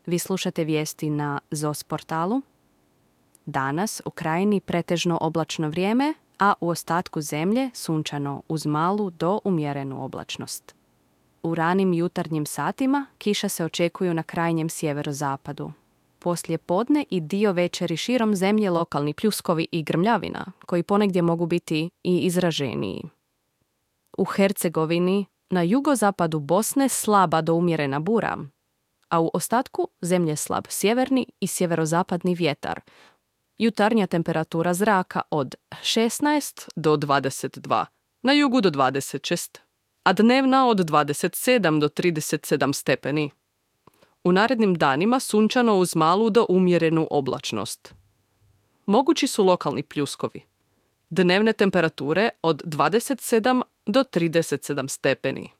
Vi slušate vijesti na ZOS portalu. Danas u krajini pretežno oblačno vrijeme, a u ostatku zemlje sunčano uz malu do umjerenu oblačnost. U ranim jutarnjim satima kiša se očekuju na krajnjem sjeverozapadu. Poslije podne i dio večeri širom zemlje lokalni pljuskovi i grmljavina, koji ponegdje mogu biti i izraženiji. U Hercegovini, na jugozapadu Bosne slaba do umjerena bura, a u ostatku zemlje slab sjeverni i sjeverozapadni vjetar. Jutarnja temperatura zraka od 16 do 22, na jugu do 26, a dnevna od 27 do 37 stepeni. U narednim danima sunčano uz malu do umjerenu oblačnost. Mogući su lokalni pljuskovi. Dnevne temperature od 27 do 37 stepeni.